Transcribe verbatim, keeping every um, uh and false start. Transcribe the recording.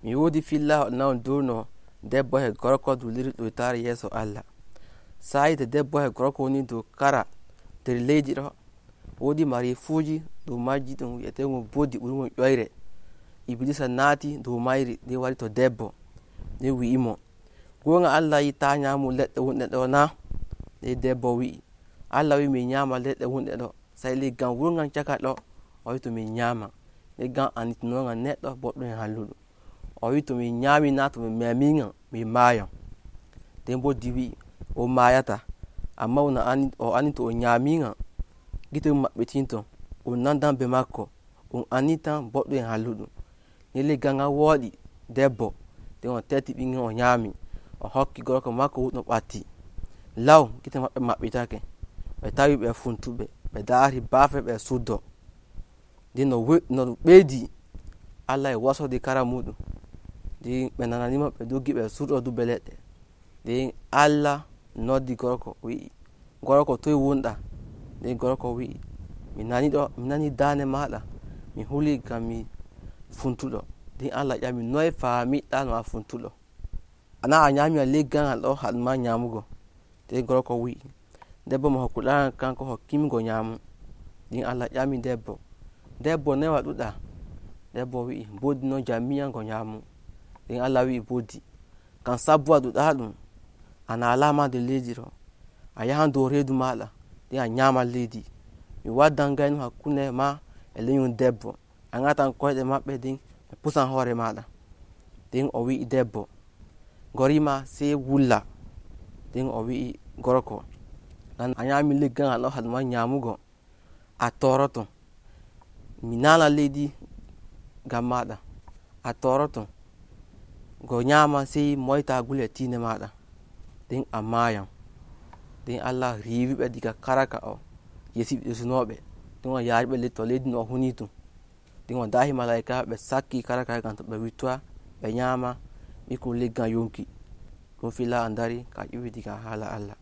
mi wodi fillawo non durno debbo e gorko dulliri ɗoytare yeso Allah. Sa'i to debbo e gorko woni dow kara nder leydi ɗo, wodi marifuji dow majji ɗum wi'etego bodi ɓurgo ƴoyre. Iblisa naati dow mayri nden wari to debbo nden wi'imo, gonga Allah yi ta nyamu leɗɗe wonɗe ɗo na? Nden debbo wi'i, Allah wi min nyama leɗɗe wonɗe ɗo, sai leggal wurgal caka ɗo o wi to min nyama. Leggal anditinogal neɗɗo boɗɗo e halluɗo. O wi to min nyami na to min memigal min mayan. Nden bo di wi'i o mayata, amma o andi to o nyamigal gite mum maɓɓitinto, on nandan be makko, on andi tan boɗɗo e halluɗo. Nden leggal ngal woɗi debbo, nden o tetti ɓingel o nyami, o hokki gorko makko wuɗɗo ɓatti. Law gite maɓɓe maɓɓitake, ɓe tawi ɓe funtuɓe, ɓe dari bafe ɓe suddo. Nden no ɓeydi Allah e wasodi kara muɗum, nden ɓe nananimo ɓe doggi ɓe surɗo dubbe leɗɗe. Nden Allah noddi gorko wi'i, gorko toye wonɗa? Nden gorko wi'i, mi nani ɗo, mi nani dande maɗa, mi huli ngam mi funtuɗo. Nden Allah ƴami, noye famiɗɗa no a funtuɗo? Ana a nyami leggal ngal ɗo haɗuma nyamugo? Nden gorko wi'i, debbo mo hokkuɗagal kanko hokkimigo nyamu. Nden Allah ƴami debbo, debbo noye waɗuɗa? Debbo wi'i, bodi non jammiyam go nyamu. Nden Allah wi'i bodi, ngam sabbu waɗuɗa ɗum, a nalama nder leydi ɗo, a yahan dow redu maɗa nden a nyama leydi. Mi waddan gaynu hakkunde ma e lenyol debbo, a ngatan koyɗe maɓɓe nden ɓe pusan hoore maɗa. Nden o wi'i debbo, gorima sei wulla. Nden o wi'i gorko, ngam a nyami leggal ngal ɗo haɗuma nyamugo, a toroto, mi nala leydi ngam maɗa, a toroto, go nyama sei moyta gule tinde maɗa, nden a mayan. Nden Allah riwiɓe diga karaka o yesi ɓirsunoɓe, nden o yariɓe to leydi no o huni tum. Nden o dahi malaika ɓe sakki karaka ngam to ɓe wittoya ɓe nyama ɓikkon leggal yonki. Ɗum fillawo dari ka ƴiwi diga hala Allah.